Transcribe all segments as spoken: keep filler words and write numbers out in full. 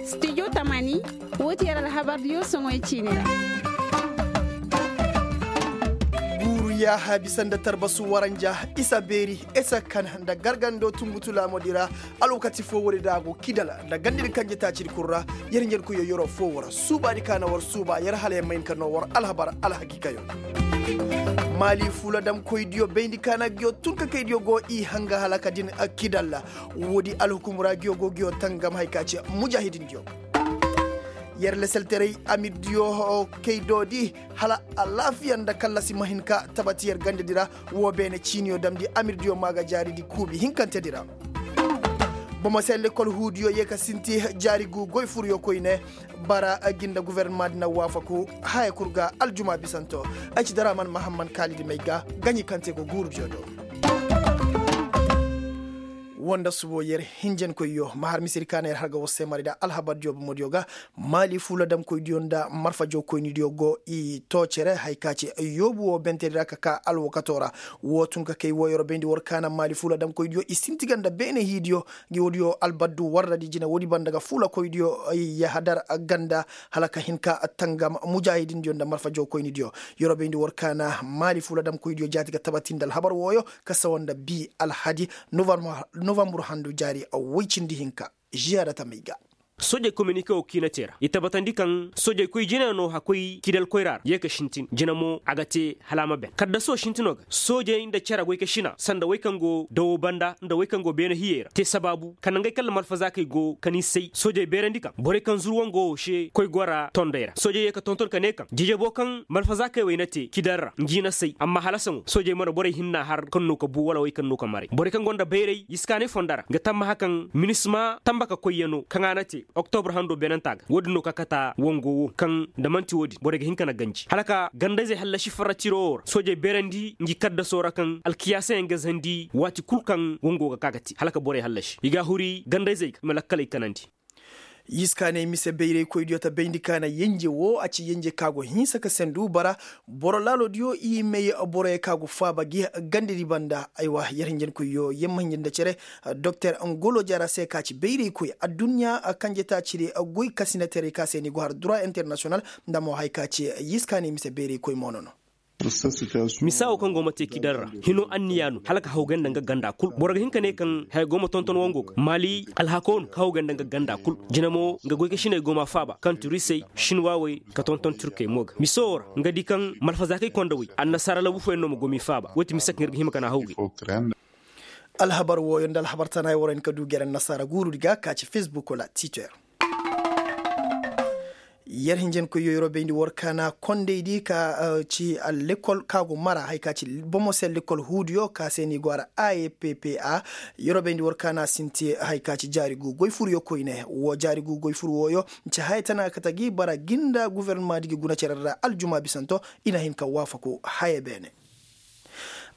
Studio tamani, woo ti yer alhabardiyo soŋoy ciini ra. Guuru yaaha bisa nda tarbasu waranja, isa beeri, isa kan nda gargando tungutu laamodi ra. Alwakati foo woodi da a go kidal nda gandadi kanjetaacidi kul ra. Yer hinjankoyyo yeroo foo war suubaadi ka na war suuba yer hala yer ma hin ka noo war alhabar alhakiikayo. Maali fuuladamkoydiyo bayndi ka na nguyo tunkakaydiyo go i hanga hala ka din kidal. Woodi alhukum ra nguyo go nguyo tangam haya ka ci mujaahidindiyo. Yer lasaltaray amirdiyo kaydoodi hala alaafiya nda kallasi ma hin ka tabati yer gandadi ra. Woo beene ciiniyo damndi amirdiyo maa ga jaaridi kuubi hinkantedi ra. Bomo se lekkol huudiyo yee ka sinti jaari guu goyfuruyo koyne. Bara gi nda gofornamaadi na waafaku haya kul ga aljuma bisanto. Ay ci daraman mahamman kaalidi may ga gaɲi kaŋ te go guurudiyo do. Woo nda subo yer hinjankoyyo ma har misedi ka na yer har ga war se mari nda alhabardiyo bomodiyo ga. Maali fuuladamkoydiyo nda marfajookoynidiyo go i too cere haya ka ci yoobu woo bentedi ra ka ka alwakatoo ra. Woo tun ka kay woo yer bayndi war ka na maali fuuladamkoydiyo i sinti ga nda beene hiidiyo. Ngi woodiyo albaddu warradi jine woodi banda ga fuulakoydiyo yahadar ganda hala ka hin ka tangam mujaahidindiyo nda marfajookoynidiyo. Yer bayndi war ka na maali fuuladamkoydiyo jaati ga tabati nda alhabar wooyo ka sawa nda bii alhadi novambur handu jaari woy cindi hinka. Ziyaada tamey ga. Soojey kominike woo kiina te ra i tabatandi kaŋ soojey koy jine no hakkoy kidal koyra ra yee ka sintin jine mo a ga te hala a ma ben kaddasoo sintinoo ga soojey nda cere goykasina sanda wey kaŋ go dawo banda nda wey kaŋ go beene hiyey ra te sabaabu ka nangey kaŋ lamalfazaakey go ka ni say soojey beerandi kaŋ borey kaŋ zur wangoo se koy gora tondey ra soojey yee ka tonton ka ne kaŋ jejeboo kaŋ malfazaakey wey na te kidal ra ngi na say amma hala saŋo soojey mana borey hinna har kaŋ no ka bu wala wey kaŋ no ka maray borey kaŋ gonda bayray yiskaanay fonda ra nga tammaha kaŋ minisma tamba ka koyyanoo kaŋ a na te oktobur hando beenantaa ga woodin no ka kata wango wo kaŋ nda man'ti woodin borey ga hin ka na ganji hala ka gandayzey hallasi farra tiro wo ra soojey beerandi ngi kaddasoo ra kaŋ alkiyaasayaŋ ga zandi waati kul kaŋ wango ga ka ga te hala ka borey hallasi i ga a huri gandayzey ga i ma lakkaley kanandi. Yiskaaney mise bayraykoydiyo ta bayndi ka na yenje wo a ci yenje ka go hinsa ka sendu bara boro laaloodiyo i may boroyo ka go faaba gi gandedi banda aywa yer hinjankoyyo yer ma hinja nda cere doktor ngolo jaara se ka ci bayraykoy adduɲɲa kanjetaacidi goy kasinateray ka se ni go har dura internasiyonal nda mo haya ka ci yiskaaney mise bayraykoy mo no no. Misa wo kaŋ go ma te kidar ra hino anniya no hala ka hawgay nda nga ganda kul boro ga hin ka ne kaŋ haya go ma tonton wango ga maali alhako no ka hawgay nda nga ganda kul jina mo nga goykasiney go ma faaba kaŋ turisey shinwawey ka tonton turkey mo ga misa wo ra nga di kaŋ malfazaakey konda wey annasaara labu fooyaŋ no ma go m'i faaba wo ti misa kaŋ ir ga hima ka na hawgay. Alhabar wooyo nda alhabar tanaay wara hin ka du gere annasaara guurudi ga ka ci fesbuk wala twitter. Yer hinjankoyyo yeroo bayndi war kaana kondaydi ka ci lekkol ka go mara haya ka ci bomo se lekkol huudiyo ka se ni go ara a e p p a. Yeroo bayndi war kaana sinti haya ka ci jaari gu goy furyo koyne woo jaari gu goy fur wooyo ci haya tana kate gi bara gi nda gofornamaadi gi guna cere ra aljuma bisanto. I na hin ka waafaku haya beene.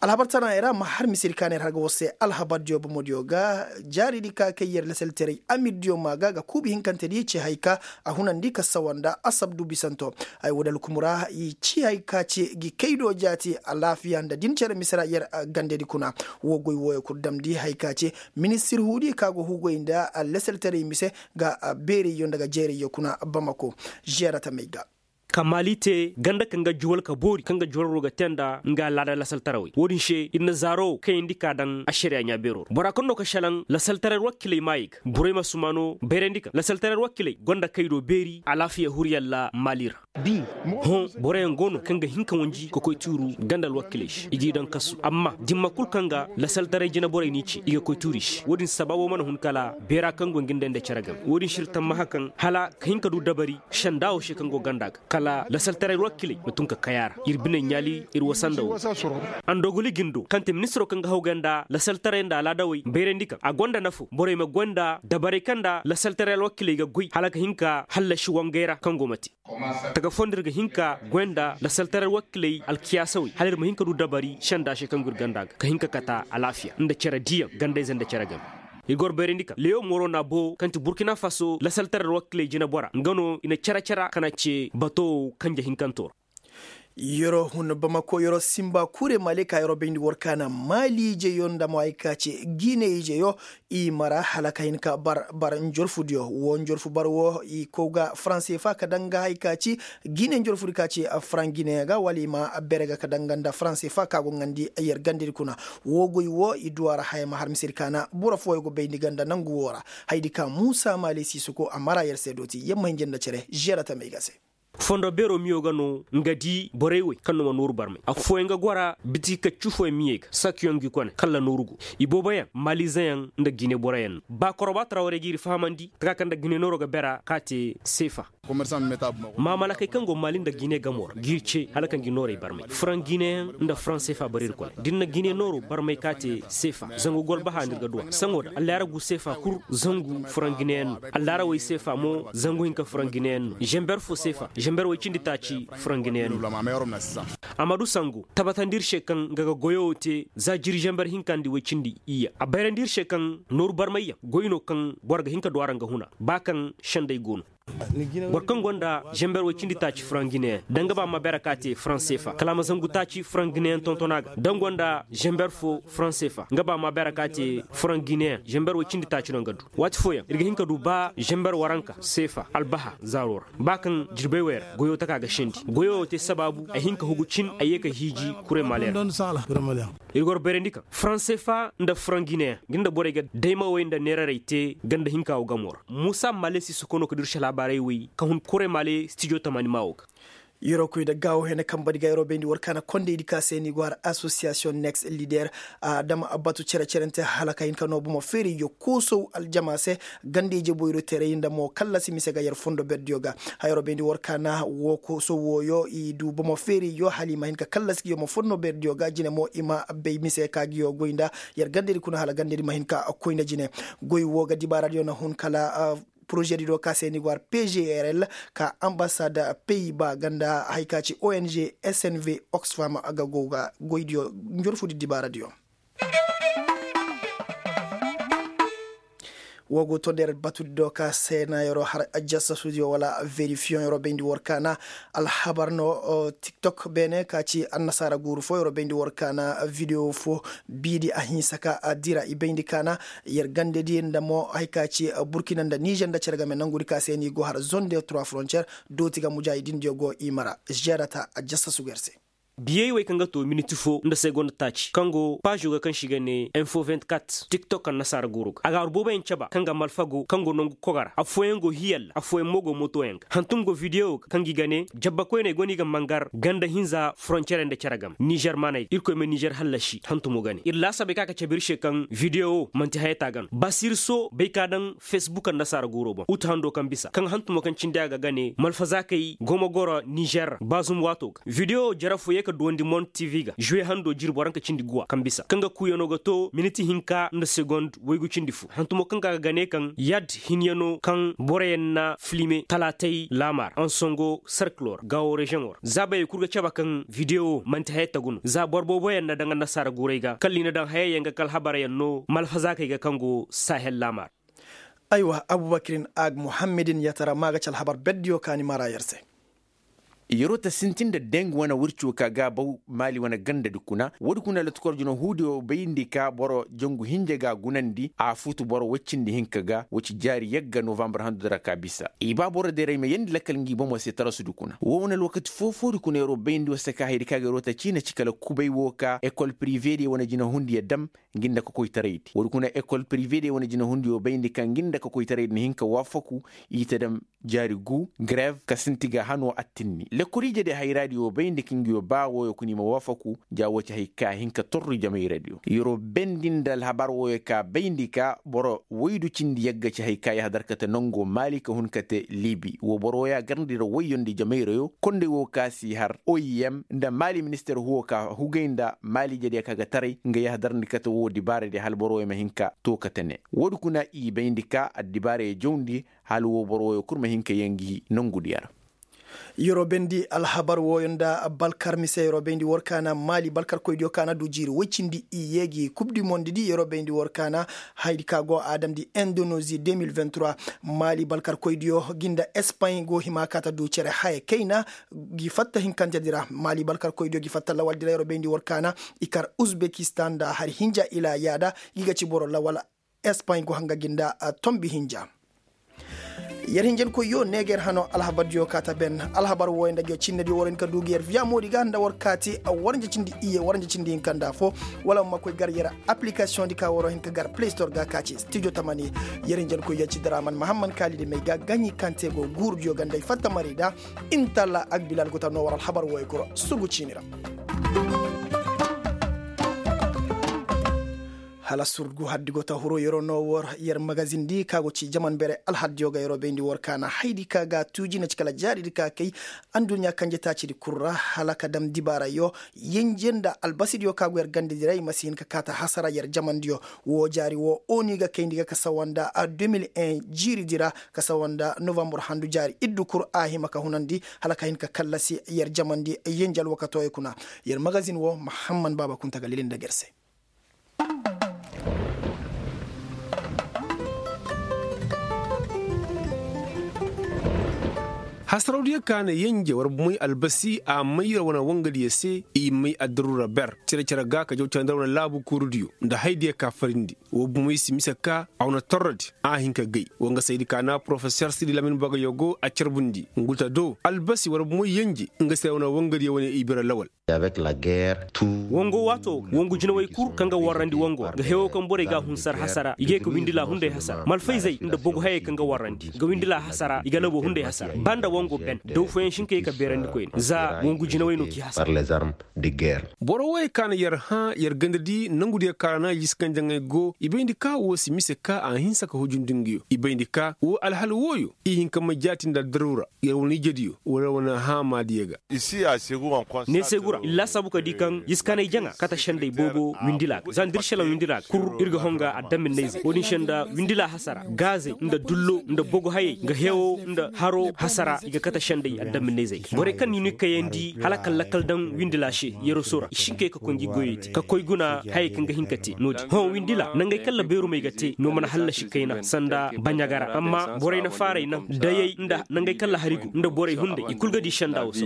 Alhabar tanaayey ra ma har misedi ka neer har ga war se alhabardiyo bomodiyo ga jaaridi ka kay yer lasaltaray amirdiyo maa ga ga kuubi hinkantedi ci hay ka a hunandi ka sawa nda asabdu bisanto. Ay woodi alkumu ra i ci hay ka ci gi kaydo jaati alaafiya nda din cere mise ra yer gandedi kuna. Woo goy wooyo kul damndi hay ka ci ministir huudi ka go hugay nda lasaltaray mise ga beerayyo nda ga jeerayyo kuna bamako. Ziyara tamey ga. Ka maali te ganda kaŋ ga juwal ka boori kaŋ ga juwalwaroo ga te nda nga laada lasaltarawey wo-din se ir na zaaro kayandi ka daŋ ašariya ɲaabeeroo ra bora kaŋ no ka šelaŋ lasaltaray alwakiiley maayey ga borey ma sumaano bayrandi kaŋ lasaltaray alwakiiley gonda kaydo beeri alaafiya huriyalla maali ra. Hõ boroyaŋ go no kaŋ ga hin ka wanji ka koy tuuru ganda alwakiiley se i g'i daŋ kasu amma dimma kul kaŋ ga lasaltaray jinaborey n'i ce i ga koy tuuru i se wo-din sabaabo mana hun kala beera kaŋ go ngi nda nda cere game wo-din se ir tammaha kaŋ hala ka hin ka du dabari senda wo se kaŋ go ganda ga kala lasaltaray alwakiiley ma tun ka kay a ra ir biney ɲaali ir wasa nda wo. Andoguli gindo kaŋ te ministiro kaŋ ga hawgay nda lasaltaray nda alaadawey bayrandi kaŋ a gonda nafo borey ma goy nda dabarey kaŋ nda lasaltaray alwakiiley ga goy hala ka hin ka hallasi wangey ra kaŋ go ma te. Taga fondo ir ga hin ka goy nda lasaltaray alwakiiley alkiyaasawey hala ir ma hin ka du dabari senda se kaŋ go ir ganda ga ka hin ka kata alaafiya nda cere diiyaŋ gandayze nda cere game. I goro bayrandi ka lewo mooro na bo kaŋ ti burkina faso lasaltaray alwakiiley jinabora nga no i na cere cere kaŋ a ce bato wo kanje hinkanto ra. Yeroo hun bamako yeroo simba kure male ka yeroo bayndi war kaana maali ijeyo nda mo ay ka ce gine ijeyo. I mara hala ka hin ka bar bar njorfudiyo wo njorfu bar wo i kow ga faranse fa ka danga hay ka ci gine njorfudi ka ci faran gine ga wala i ma bere ga ka danga nda faranse fa ka go ŋandi yer gandedi kuna. Wo goy wo i duwa ra haya ma har misedi kaana boro fooyo go bayndi ganda nangu wo ra. Haydi ka muusa maali siisoko a mara yer se dooti yer ma hin janda cere žera tamey ga se. Fondo beero miyo ga no nga di borey wey kaŋ no ma nooru barmay a fooyaŋ ga gora biti kaccu fooyaŋ miyey ga sakiyoŋ gi kone kala nooru go. Ibooboyaŋ malizeyaŋ nda gine boroyaŋ no ba koroba tarawarey ga iri fahamandi taka kaŋ nda gine nooro ga bera ka te seefa. Maamalakey kaŋ go mali nda gine gamo ra ga iri ce hala kaŋ gi noorey barmay furaŋ gineyaŋ nda furaŋ seefa boro iri kone da iri na gine nooro barmay ka te seefa zangu golbaha nda iri ga duwa saŋo da allaara gu seefa kul zangu furaŋ gineyaŋ no. Allaara wey seefa mo zangu hinka furaŋ gineyaŋ no zember fo seefa zember wey cindi taaci furaŋ gineyaŋ no. Amma du sango tabatandi iri se kaŋ nga ga goyo wo te za jiri zember hinka nda wey cindi iyya a bayrandi iri se kaŋ nooru barmayyaŋ goy no kaŋ boro ga hin ka du a ra nga huna ba kaŋ sendey go no. Boro kaŋ gonda zember wey cindi taaci furaŋ gineyaŋ da nga ba ma bere ka te furaŋ seefa kala a ma zangu taaci furaŋ gineyaŋ tonton a ga da nga gonda zember fo furaŋ seefa nga ba ma bere ka te furaŋ gineyaŋ zember wey cindi taaci no nga du. Waati fooyaŋ iri ga hin ka du ba zember waranka seefa albaha zaaro ra ba kaŋ jirbey wey ra goyo taka ga sendi goyo wo te sabaabu ay hin ka hugu cin ay ye ka hiiji kuray maaleer. Iri goro bayrandi kaŋ faranse fa nda furaŋ gineyaŋ nga nda borey ga daymawey nda neerarey te ganda hinka wo gamo ra muusa maale si sokono ka dirse laabaarey wey ka hun kuray maale stijo tamani ma wo ga. Yeroo koy nda gaawo hene kambadi ga yeroo bayndi war kaana kondaydi ka se ni go har asosiyasiyoŋ next lider. A dama batu cere-cerante hala ka hin ka no bomo feeriyo koosow aljama se ganda ije boyro teeray nda mo kallasi mise ga yer fondo berdiyo ga. Hayro bayndi war kaana wo koosow wooyo i du bomo feeriyo hala i ma hin ka kallasi giyo mo fondo berdiyo ga jine mo i ma bay mise ka giyo goy nda yer gandadi kuna hala gandadi ma hin ka koy nda jine. Goy wo ga dibaaradiyo na hun kala porozediyo ka se ni go har pgrl ka ambasad pey ba ganda hay ka ci ong snv oxfam ga go ga goydiyo njorfudi dibaaradiyo. Wo go to nder batudi do ka seenayero har ajasasudiyo wala verifiyoŋ yero bayndi war kaana alhabar no. Tiktok beene ka ci annasaara guuru fo yero bayndi war kaana videwo fo biidi a hinsa ka a dira i bayndi kaana. Yer gandedi nda mo hay ka ci burkina nda nizer nda cere game nangudi ka se ni go har zone de trois frontières. Dooti ga mujaahidindiyo go i mara žerata a jasasugu yer se. Biyey wey kaŋ ga to miniti fo nda segonda taaci kaŋ go paazo ga kaŋ se i ga ne info vingt-quatre tiktok annasaara guuru ga a ga har booboyaŋ caba kaŋ ga malfa go kaŋ go nangu koga ra affooyaŋ go hiyalla affooyaŋ mo go mootoyaŋ ga hantum go videwo ga kaŋ gi ga ne jabba koyney go no i ga mangar ganda hinza foroncerey nda cere game nizer maaney irkoy ma nizer hallasi hantumo ga ne ir laasabey kaŋ a ga cabe ir se kaŋ videwo man'ti hayata ga no basirso bay ka daŋ fesbuk annasaara guuro boŋ utu hando kaŋ bisa kaŋ hantumo kaŋ cindi a ga ga ne malfazaakey go ma goro nizer ra baazum waato ga videwo jara fo ye ka duwandi mont tv ga zuwe hando jirbi waranka cindi guwa kaŋ bisa kaŋ ga kuuyano ga to miniti hinka nda segond waygu cindi fo hantumo kaŋ ga ga ne kaŋ yad hinyano kaŋ boroyaŋ na filime talaatay laamaar ansongo serkilo ra gaawo reziyoŋo ra zaabayey kul ga cabe kaŋ videwo man'ti haya tagu no za boro booboyaŋ na daŋ annasaara guurey ga kala i na daŋ hayey yaŋ ga kala habaryaŋ no malfazaakey ga kaŋ go sahel laamaar. Aywa abubakirin ag muhammedin yatara ma ga ci alhabar berdiyo ka ni mara yer se. Yeroo ta sintin nda deng wane wirco ka ga baw maali wane gandadi kuna woodi kuna latukor jina huudiyo bayndi ka boro jangu hinja ga gunandi a futu boro woy cindi hinka ga woy ci jaari yagga novambar handudi ra ka bisa i ba boro deeray ma yeendi lakkal ngi bomo se tarasudi kuna woo wane alwakati foo-foodi kuna yeroo bayndi wo se ka hayadi ka ga yeroo ta ciina ci kala kubay woo ka ekol prive diyo wane jinahundiyo dam. Ngi nda ka koytaraydi woodi kuna ekol prive diyo wane jinahundiyo bayndi ka ngi nda ka koytaraydi na hin ka waafaku i ta dam jaari gu grev ka sinti ga hanoo attinni lekoriije de hayraadi woo bayndi ka ngi yoo ba wooyo kuna i ma waafaku ja woo ci hay ka hin ka torru jamayradi woo yeroo bendi nda alhabar wooyo ka bayndi ka boro woydu cindi yagga ci hay ka yahadar kate nongo maali ka hun kate libi woo boro wooyo a garndi ra woyyo nda jamayra yoo konday woo ka si har oim nda maali minister huwo ka hugay nda maali jadiya ka ga taray nga yahadar ndi kate woo dibaaradi hala boro wooyo ma hin ka too kate ne woodi kuna i bayndi ka addibaaraya jawndi hala woo boro wooyo kul ma hin ka yee ngi nongudiya ra. Yeroo bayndi alhabar wooyo nda balkar mise yeroo bayndi war kaana maali balkarkoydiyo kaana du jiiri woy cindi iyye gi kub di mondi di yeroo bayndi war kaana. Haydi ka go a damndi indonozi deux mille vingt-trois. Maali balkarkoydiyo gi nda espany go hima kaata du cere haya kayna gi fatta hinkante di ra maali balkarkoydiyo gi fatta lawal di ra yeroo bayndi war kaana. I kar uzbekistan nda hari hinja ila yaada gi ga ci boro lawal. Espany go hanga gi nda tombi hinja. Yer hinjankoyyo neeger hano alhabardiyo kaata ben. Alhabar wooyo nda ga cinnediyo war hin ka du ga yer viya moodi ga nda war kaati waranja cindi iyye waranja cindi hinka nda foo. Wala ma koy gar yer aplikasiyoŋ di ka waro hin ka gar play store ga ka ci studio tamani. Yer hinjankoyyo ci draman mahamman kaalidi may ga gaɲi kaŋ te go guurudiyo ga nda ay fatta mari da. Intalla agbilal go ta no war alhabar wooyo kuro sugu ciini ra. Hala surgu haddi go ta huru yeroo no war yer magazin di ka go ci jaman bere alhaddiyo ga yeroo bayndi war kaana haydi ka ga tuuji na ci kala jaari di ka kay. Anduɲɲa kanje taaci di kul ra hala ka dam dibaarayyo. Yenje nda albasidiyo ka go yer ganda diray ma si hin ka kaata hasara yer jamandiyo. Woo jaari woo oni ga kayndi ga ka sawa nda deux mille un jiiri di ra ka sawa nda novambur handu jaari iddu kul a hima ka hunandi hala ka hin ka kallasi yer jamandi yenje alwakatooyo kuna. Yer magazin woo mahamman baaba kunta ga lili nda ga yer se. Hasarawdiyo ka na yenje war bumey albasi a may yer wane wangadiyo se. I may addaruura ber cere-cere ga ka jaw cere nda wane laabu kuurudiyo nda haydiyo ka farindi. War bumey si mise ka a wane torrodi a hin ka gay. Wanga saydi ka na porofesor sidi lamin bagayo go a carbundi ngu ta do albasi war bumey yenje nga se wane wangadiyo wane i bira lawal. Wango waato ga wangu jinawey kul kaŋ ga warrandi wango ga hewo kaŋ borey ga a hunsar hasara i ga ye ka windila hunday hasara malfayzey nda bogu hayey kaŋ ga warrandi ga windila hasara i ga labo hunday hasara ba nda wango ben daw fooyaŋ si hin ka ye ka beerandi koyne za wangu jinawey no k'i hasara. Boro wooyey ka na yer hã yer ganda di nangudiyo ka ra na jiskanja ŋey go i bayndi ka woo si mise ka a hinsa ka hujundi nguyo i bayndi ka woo alhal wooyo i hin ka may jaati nda addaruura yer wane ijediyo wala wane haamaadiyo ga. Neesegu ra iri laasaabu ka di kaŋ jiskaanay jaŋa kate sendey boobo windila ga za nda iri šelaŋ windila ga kul iri ga honga addaminayzey wo-din se nda windila hasara gaazey nda dullo nda bogo hayey nga hewo nda haro hasara i ga kate sendey addaminayzey ga borey kaŋ ni no i kayandi hala kala lakkal daŋ windila se yeroso ra i si hin ka ye ka koy ngi goyey te ka koy guna hayey kaŋ ga hin ka te no-din hõ windila nangey kaŋ labeerumey ga te no mana hallasi kayna sanda baɲaga ra amma borey na faaray naŋ dayey nda nangey kaŋ lahari go nda borey hunday i kulu ga di senda wo se.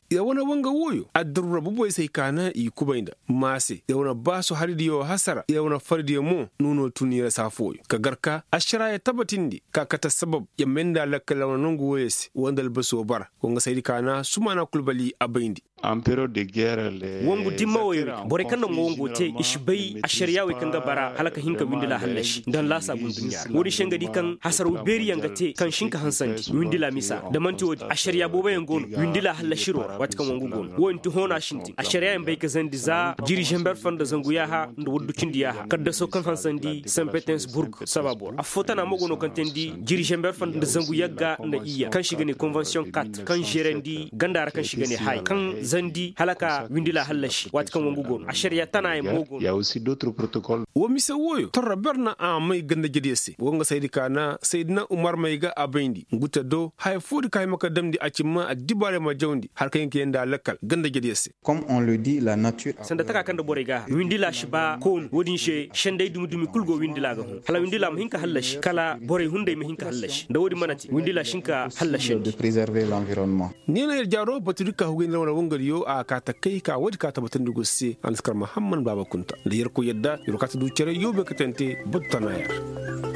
Yer wane wanga wooyo addaruura boboy se ay ka naŋ i kubay nda maase yer wane baasu haridiyo hasara yer wane faridiyo mo nuuno tun yer se afooyo ka gar ka ašaraayo tabatindi ka kate sabab yer may nda lakkal yer wane nangu wooyo se wanda albaso bara wanga saydi ka naŋ sumaana kulu bali a bayndi. Wangu dimma woyoo di borey kaŋ na mo wango te i si bay ašariyaawey kaŋ ga bara hala ka hin ka windila hallasi nda nlaasaabun duɲɲa ra wo-din se nga di kaŋ hasaraw beeriyaŋ ga te kaŋ si hin ka hansandi windila misa ra da man'ti wo-din ašariyaa booboyaŋ go no windila hallasiroo ra waati kaŋ wangu go no wo-din ti hoona sintin ašariyaayaŋ bay ka zandi za jiri zember foo nda zangu yaaha nda waddu cindi yaaha kaddasoo kaŋ hansandi sen petensburg sabaaboo ra affoo tana mo go no kaŋ teendi jiri zember foo nda zangu yagga nda iyya kaŋ se i ga ne konvensiyoŋ kat kaŋ zeerandi ganda ra kaŋ se i ga ne haay kaŋ zandi hala ka windila hallasi waati kaŋ wangu go no ašariya tanaayaŋ mo go no. Woo mise wooyo torro ber na a may ganda-jediyo se woo nga saydi ka na saydina umar may ga a bayndi ngu te do haya foodi ka hima ka damndi a ci ma addibaarey ma jawndi hala ka hin ka yee nda a lakkal ganda-jediyo se. Sanda taka kaŋ nda borey ga a har windila si ba koonu woo-din se sendey dumi-dumi kul go windila ga hun hala windila ma hin ka hallasi kala borey hunday ma hin ka hallasi nda woo-din mana te windila si hin ka hallasandi. Neena yer jaaro batudi ka hugay nda wane wangadiyo a kaa takay ka woodi ka tabatandi go se a na si kar mahamman baaba kunta nda yerkoy yadda yer wo kaa ta du cere yoobe katante batu tana yer.